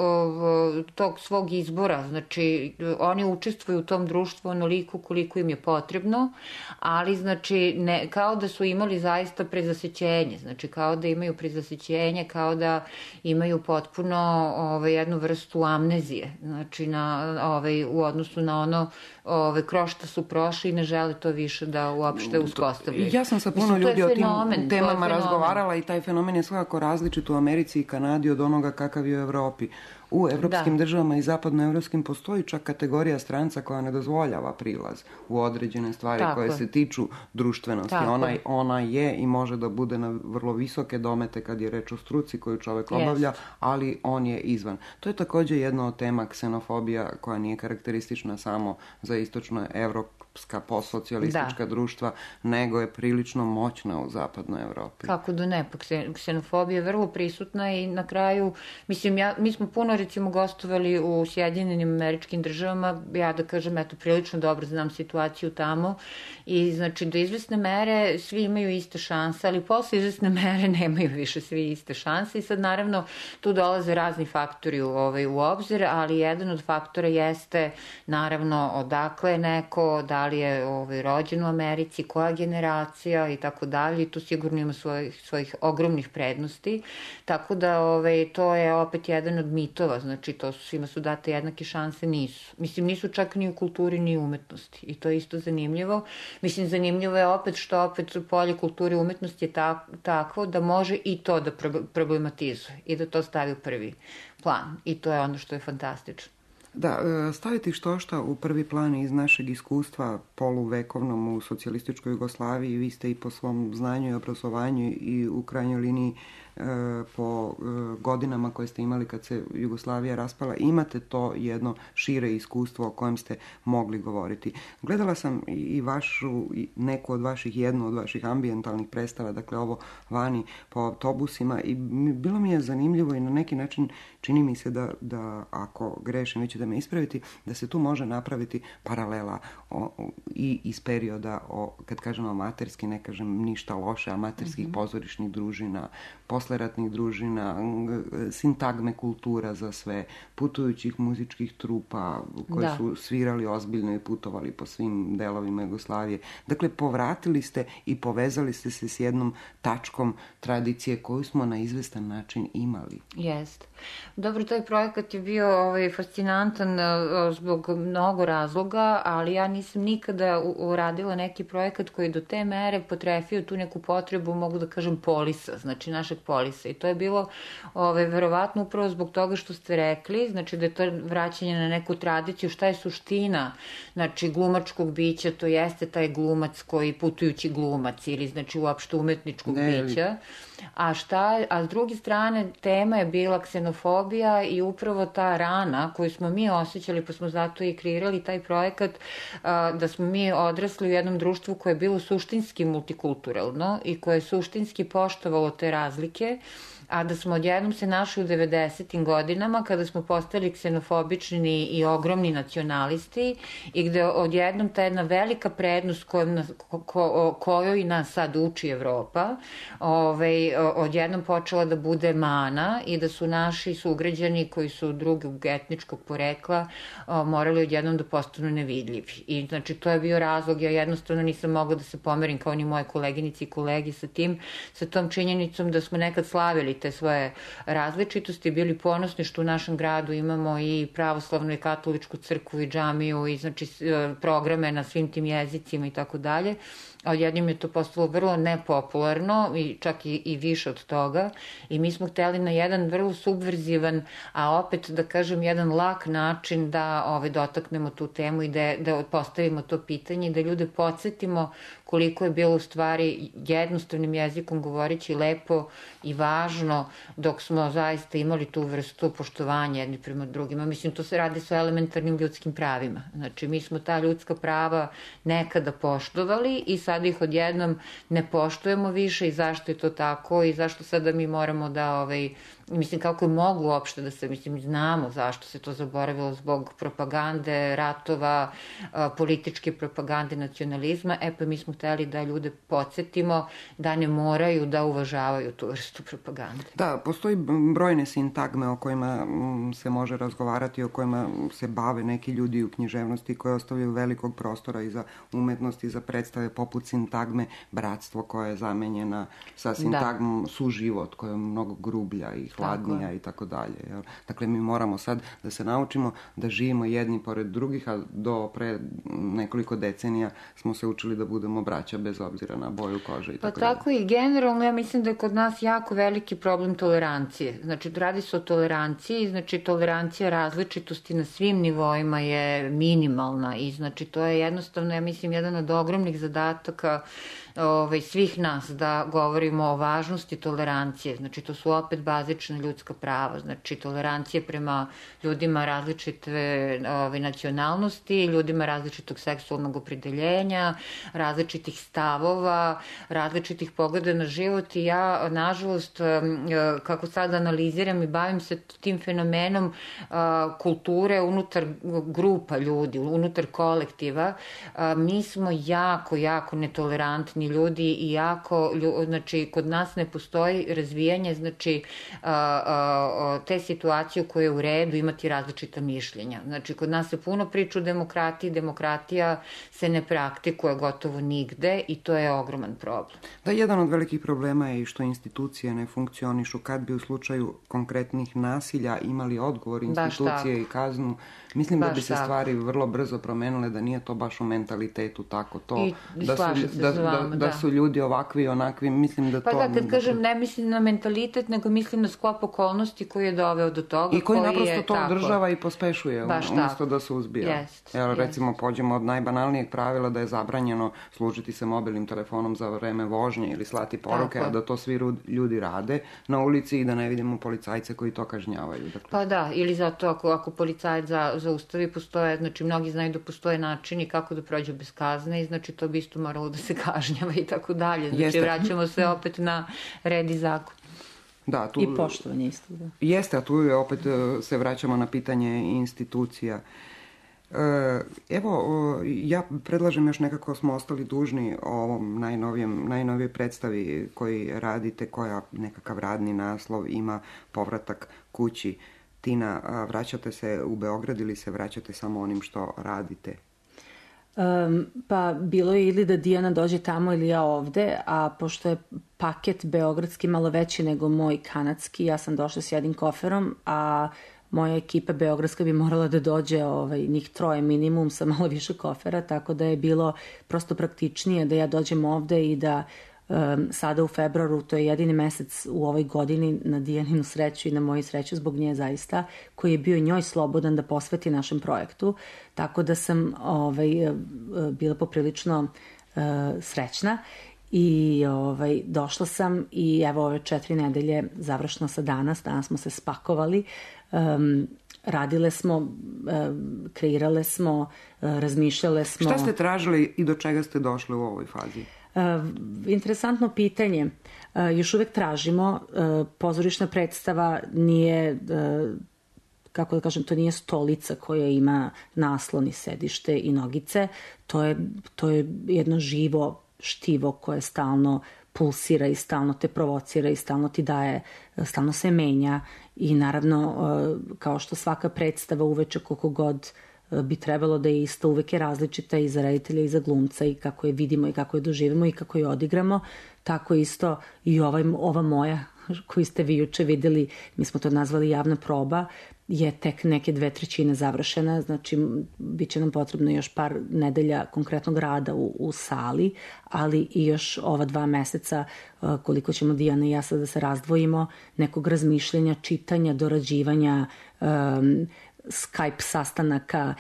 tog svog izbora. Znači, oni učestvuju u tom društvu onoliko koliko im je potrebno, ali znači kao da su imali zaista prezasećenje. Znači, kao da imaju prezasećenje, kao da imaju potpuno jednu vrstu amnezije, znači u odnosu na ono kroz što su prošli i ne žele to više da uopšte uspostavljaju. Ja sam sa puno ljudi o tim temama razgovarala i taj fenomen je svakako različit u Americi i Kanadi od onoga kakav je u Evropi. U evropskim državama i zapadnoevropskim postoji čak kategorija stranca koja ne dozvoljava prilaz u određene stvari koje se tiču društvenosti. Ona je i može da bude na vrlo visoke domete kad je reč o struci koju čovek obavlja, ali on je izvan. To je takođe jedna od tema ksenofobija koja nije karakteristična samo za istočno-evropska postsocijalistička društva, nego je prilično moćna u zapadnoj Evropi. Kako da ne, pa ksenofobija je vrlo prisutna i na kraju, mislim, mi smo puno recimo gostovali u Sjedinjenim Američkim Državama, ja da kažem, eto, prilično dobro znam situaciju tamo i znači do izvesne mere svi imaju iste šanse, ali posle izvesne mere nemaju više svi iste šanse i sad naravno tu dolaze razni faktori u obzir, ali jedan od faktora jeste naravno odakle je neko, da li je rođen u Americi, koja generacija i tako dalje i tu sigurno ima svojih ogromnih prednosti, tako da to je opet jedan od mitova, znači to svima su date jednake šanse, nisu. Mislim, nisu čak ni u kulturi ni u umetnosti i to je isto zanimljivo. Mislim, zanimljivo je opet što opet polje kulture i umetnosti je takvo da može i to da problematizuje i da to stavi u prvi plan i to je ono što je fantastično. Da, staviti štošta u prvi plan iz našeg iskustva poluvekovnom u socijalističkoj Jugoslaviji, vi ste i po svom znanju i obrazovanju i u krajnjoj liniji po godinama koje ste imali kad se Jugoslavija raspala, imate to jedno šire iskustvo o kojem ste mogli govoriti. Gledala sam i jednu od vaših ambijentalnih predstava, dakle ovo vani po autobusima, i bilo mi je zanimljivo i na neki način čini mi se da ako grešim, vi ćete me ispraviti, da se tu može napraviti paralela i iz perioda, kad kažem amaterski, ne kažem ništa loše, amaterskih pozorišnih družina, posleratnih družina, sintagme kultura za sve, putujućih muzičkih trupa koji su svirali ozbiljno i putovali po svim delovima Jugoslavije. Dakle, povratili ste i povezali ste se s jednom tačkom tradicije koju smo na izvestan način imali. Jest. Dobro, taj projekat je bio fascinantan zbog mnogo razloga, ali ja nisam nikada uradila neki projekat koji do te mere potrefio tu neku potrebu, mogu da kažem, polisa, znači našeg polisa. I to je bilo verovatno upravo zbog toga što ste rekli, znači da je to vraćanje na neku tradiciju, šta je suština, znači glumačkog bića, to jeste taj glumac koji putujući glumac ili znači uopšte umetničkog bića. A s druge strane, tema je bila ksenofobija i upravo ta rana koju smo mi osjećali, pa smo zato i kreirali taj projekat, da smo mi odrasli u jednom društvu koje je bilo suštinski multikulturalno i koje je suštinski poštovalo te razlike, a da smo odjednom se našli u 90. godinama kada smo postali ksenofobični i ogromni nacionalisti i gde odjednom ta jedna velika prednost kojoj nas sad uči Evropa odjednom počela da bude mana i da su naši sugrađani koji su drugog etničkog porekla morali odjednom da postanu nevidljivi. I znači to je bio razlog, ja jednostavno nisam mogla da se pomerim kao ni moje koleginici i kolegi sa tom činjenicom da smo nekad slavili te svoje različitosti, bili ponosni što u našem gradu imamo i pravoslavnu i katoličku crkvu i džamiju i znači programe na svim tim jezicima i tako dalje. A odjednom je to postalo vrlo nepopularno i čak i više od toga i mi smo hteli na jedan vrlo subverzivan, a opet da kažem jedan lak način da dotaknemo tu temu i da postavimo to pitanje i da ljude podsjetimo koliko je bilo u stvari jednostavnim jezikom govoreći lepo i važno dok smo zaista imali tu vrstu poštovanja jedni prema drugima. Mislim, to se radi sa elementarnim ljudskim pravima. Znači, mi smo ta ljudska prava nekada poštovali i sad ih odjednom ne poštujemo više i zašto je to tako i zašto sada mi moramo da mislim, kako je mogu uopšte da se, mislim, znamo zašto se to zaboravilo zbog propagande, ratova, političke propagande, nacionalizma, pa mi smo hteli da ljude podsjetimo da ne moraju da uvažavaju tu vrstu propagande. Da, postoji brojne sintagme o kojima se može razgovarati, o kojima se bave neki ljudi u književnosti koji ostavljaju velikog prostora i za umetnost i za predstave poput sintagme bratstvo koja je zamenjena sa sintagmom suživot koja je mnogo grublja i hladnija i tako dalje. Dakle, mi moramo sad da se naučimo da živimo jedni pored drugih, a do pre nekoliko decenija smo se učili da budemo braća bez obzira na boju kože i tako dalje. Pa tako i generalno, ja mislim da je kod nas jako veliki problem tolerancije. Znači, radi se o toleranciji, znači tolerancija različitosti na svim nivoima je minimalna i znači to je jednostavno, ja mislim, jedan od ogromnih zadataka svih nas da govorimo o važnosti tolerancije. Znači, to su opet bazična ljudska prava. Znači, tolerancije prema ljudima različite nacionalnosti, ljudima različitog seksualnog opredeljenja, različitih stavova, različitih pogleda na život i ja, nažalost, kako sad analiziram i bavim se tim fenomenom kulture unutar grupa ljudi, unutar kolektiva, mi smo jako, jako netolerantni ljudi i jako, znači, kod nas ne postoji razvijanje, znači, te situacije u kojoj je u redu imati različita mišljenja. Znači, kod nas se puno priča o demokratiji, demokratija se ne praktikuje gotovo nigde i to je ogroman problem. Da, jedan od velikih problema je i što institucije ne funkcionišu. Kad bi u slučaju konkretnih nasilja imali odgovor institucije i kaznu, mislim da bi se stvari vrlo brzo promenile, da nije to baš u mentalitetu tako to. I slažem se s vama. da su ljudi ovakvi i onakvi, mislim da to... Pa da, kad kažem, ne mislim na mentalitet, nego mislim na sklop okolnosti koji je doveo do toga. I koji naprosto to održava i pospešuje, umjesto da se uzbija. Evo, recimo, pođemo od najbanalnijeg pravila da je zabranjeno služiti se mobilnim telefonom za vreme vožnje ili slati poruke, a da to svi ljudi rade na ulici i da ne vidimo policajce koji to kažnjavaju. Dakle. Pa da, ili zato ako policajac zaustavi, postoje, znači mnogi znaju da postoje načini kako da prođu bez kazne i znači to bi isto moralo da se kažnjava i tako dalje. Znači vraćamo se opet na red i zakon. Da, tu... I poštovanje isto, da. Jeste, a tu je opet se vraćamo na pitanje institucija. Evo, ja predlažem još nekako smo ostali dužni o ovom najnovijoj predstavi koji radite, koja nekakav radni naslov ima Povratak kući. Tina, vraćate se u Beograd ili se vraćate samo onim što radite? Pa bilo je ili da Dijana dođe tamo ili ja ovde, a pošto je paket beogradski malo veći nego moj kanadski, ja sam došla s jednim koferom, a moja ekipa beogradska bi morala da dođe njih 3 minimum sa malo više kofera, tako da je bilo prosto praktičnije da ja dođem ovde i da sada u februaru, to je jedini mesec u ovoj godini na Dijaninu sreću i na moju sreću zbog nje zaista, koji je bio njoj slobodan da posveti našem projektu, tako da sam bila poprilično srećna i došla sam i evo ove 4 nedelje završno sa danas smo se spakovali, radile smo, kreirale smo, razmišljale smo. Šta ste tražili i do čega ste došli u ovoj fazi? Interesantno pitanje. Još uvek tražimo. Pozorišna predstava nije, kako da kažem, to nije stolica koja ima naslon i sedište i nogice. To je jedno živo štivo koje stalno pulsira i stalno te provocira i stalno ti daje, stalno se menja i naravno, kao što svaka predstava uveče koliko god bi trebalo da je isto, uvek je različita i za reditelja i za glumca i kako je vidimo i kako je doživimo i kako je odigramo, tako isto i ova moja koju ste vi juče videli, mi smo to nazvali javna proba, je tek neke 2/3 završena, znači bit će nam potrebno još par nedelja konkretnog rada u sali, ali i još ova 2 meseca koliko ćemo Dijana i ja sad da se razdvojimo, nekog razmišljenja, čitanja, dorađivanja, Skype sastanaka,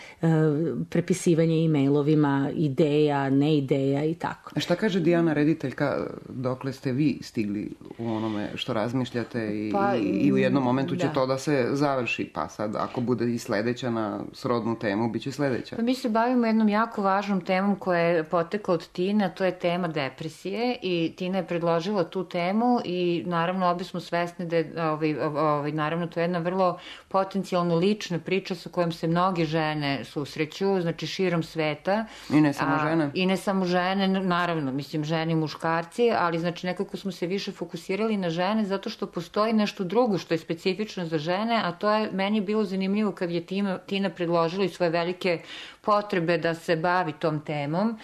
prepisivanje e-mailovima, ideja, ne ideja i tako. A šta kaže Dijana rediteljka, dokle ste vi stigli u onome što razmišljate i u jednom momentu će to da se završi, pa sad ako bude i sledeća na srodnu temu, bit će sledeća. Pa mi se bavimo jednom jako važnom temom koja je potekla od Tine, a to je tema depresije i Tina je predložila tu temu i naravno obje smo svesni da je, naravno to je jedna vrlo potencijalno lična priča sa kojom se mnoge žene susreću, znači širom sveta. I ne samo žene. I ne samo žene, naravno, mislim žene i muškarci, ali znači nekako smo se više fokusirali na žene zato što postoji nešto drugo što je specifično za žene, a to je meni bilo zanimljivo kad je Tina predložila i svoje velike potrebe da se bavi tom temom.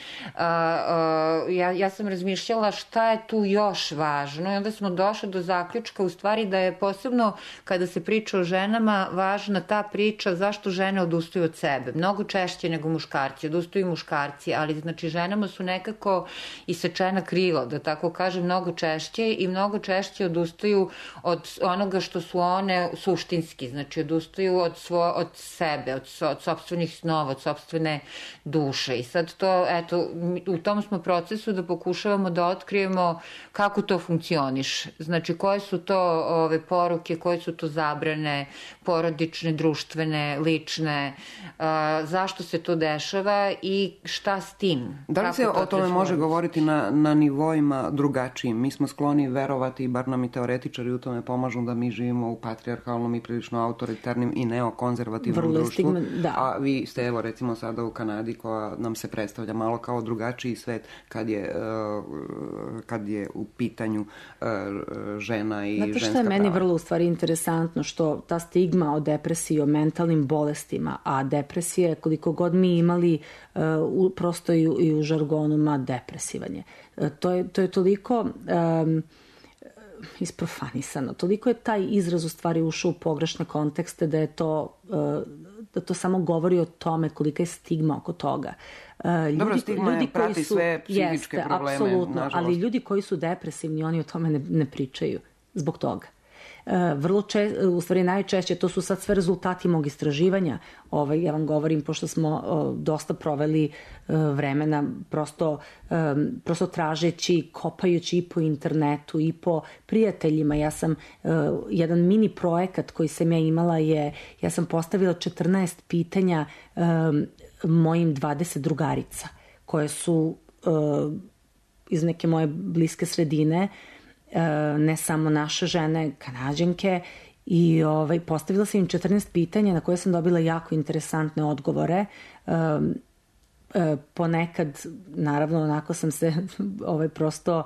Ja sam razmišljala šta je tu još važno i onda smo došli do zaključka u stvari da je posebno kada se priča o ženama važna ta priča zašto žene odustaju od sebe. Mnogo češće nego muškarci. Odustaju muškarci, ali znači ženama su nekako isečena krila, da tako kažem, mnogo češće i mnogo češće odustaju od onoga što su one suštinski. Znači odustaju od sebe, od sopstvenih snova, od sopstvene duše. I sad to, eto, u tom smo procesu da pokušavamo da otkrijemo kako to funkcioniše. Znači koje su to poruke, koje su to zabrane porodične, društvene, lične, zašto se to dešava i šta s tim. Da li se o tome može govoriti na nivoima drugačijim? Mi smo skloni verovati, bar nam i teoretičari u tome pomažu, da mi živimo u patrijarhalnom i prilično autoritarnim i neokonzervativnom društvu. A vi ste, evo, recimo sada u Kanadi, koja nam se predstavlja malo kao drugačiji svet kad je u pitanju žena i ženska prava. Znate što je meni vrlo u stvari interesantno, što ta stigma o depresiji, o mentalnim bolestima, a depresije, koliko god mi imali prosto i u žargonu, depresivanje. To je toliko isprofanisano. Toliko je taj izraz u stvari ušao u pogrešne kontekste da je to da to samo govori o tome kolika je stigma oko toga. Dobro, stigma prati sve psihičke probleme, apsolutno, nažalost. Ali ljudi koji su depresivni, oni o tome ne pričaju zbog toga. U stvari najčešće, to su sad sve rezultati mog istraživanja, ja vam govorim, pošto smo dosta proveli vremena prosto tražeći, kopajući i po internetu i po prijateljima. Ja sam, jedan mini projekat koji sam ja imala ja sam postavila 14 pitanja mojim 20 drugarica, koje su iz neke moje bliske sredine, ne samo naše žene, Kanađanke, i postavila sam im 14 pitanja na koje sam dobila jako interesantne odgovore. Ponekad, naravno, onako sam se prosto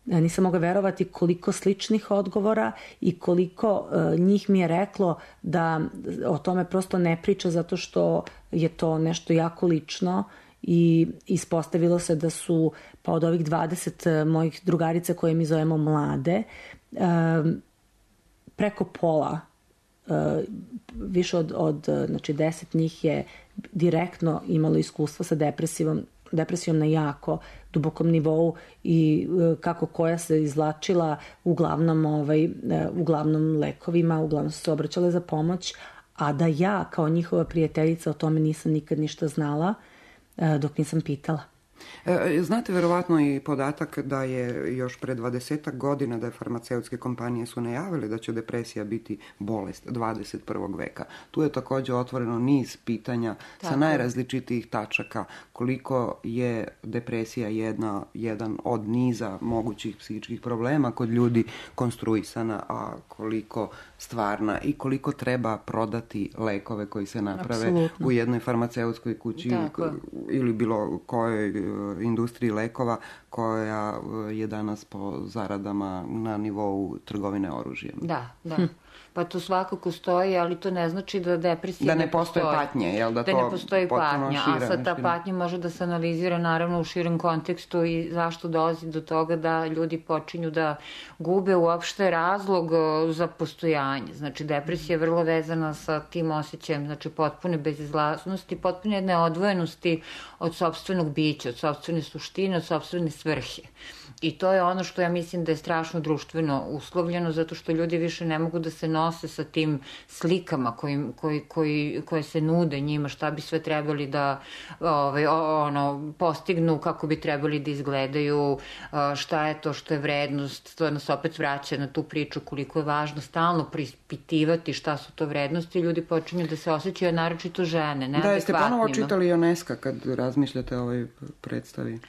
nisam mogla verovati koliko sličnih odgovora i koliko njih mi je reklo da o tome prosto ne priča zato što je to nešto jako lično. I ispostavilo se da su, pa od ovih 20 mojih drugarica koje mi zovemo mlade, preko pola, više od 10 njih je direktno imalo iskustva sa depresijom na jako dubokom nivou i kako koja se izvlačila uglavnom lekovima, uglavnom su se obraćale za pomoć, a da ja kao njihova prijateljica o tome nisam nikad ništa znala dok nisam pitala. Znate verovatno i podatak da je još pre 20 godina da je farmaceutske kompanije su najavile da će depresija biti bolest 21. veka. Tu je također otvoreno niz pitanja sa najrazličitijih tačaka, koliko je depresija jedan od niza mogućih psihičkih problema kod ljudi konstruisana, a koliko stvarna i koliko treba prodati lekove koji se naprave Absolutno. U jednoj farmaceutskoj kući ili bilo kojoj industriji lekova koja je danas po zaradama na nivou trgovine oružjem. Da. Pa to svakako stoji, ali to ne znači da depresija ne postoje patnje, jel? Da ne postoji patnja, a sad ta patnja može da se analizira naravno u širem kontekstu i zašto dolazi do toga da ljudi počinju da gube uopšte razlog za postojanje. Znači, depresija je vrlo vezana sa tim osjećajem, znači potpune bezizlaznosti, potpune jedne odvojenosti od sopstvenog bića, od sopstvene suštine, od sopstvene svrhe. I to je ono što ja mislim da je strašno društveno uslovljeno, zato što ljudi više ne mogu da se nose sa tim slikama koje se nude njima, šta bi sve trebali da postignu, kako bi trebali da izgledaju, šta je to što je vrednost. To nas opet vraća na tu priču koliko je važno stalno preispitivati šta su to vrednosti. Ljudi počinju da se osjećaju, naročito žene, neadekvatnima. Da, jeste ponovo čitali Ionesca kad razmišljate o ovoj predstavi?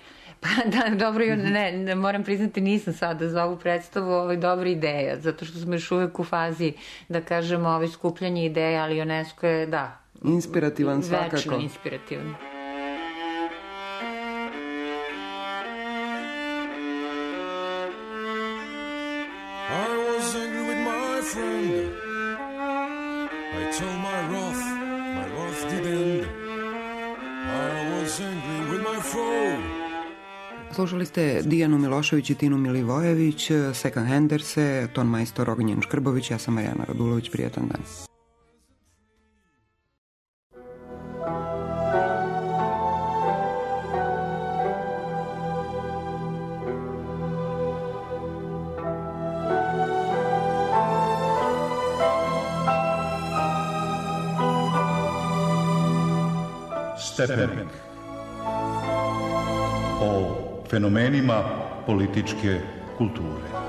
Pa da, dobro, ne, moram priznati, nisam sada za ovu predstavu dobra ideja, zato što smo još uvek u fazi, da kažemo, skupljanje ideja, ali UNESCO je, da. Inspirativan svakako. Večno inspirativan. I was angry with my friend. I told my wrath did end. I was angry with my foe. Slušali ste Dijanu Milošević i Tinu Milivojević, Second Handerse, ton majstor Ognjen Škrbović, ja sam Marijana Radulović, prijetan dan. Stepenik. O fenomenima političke kulture.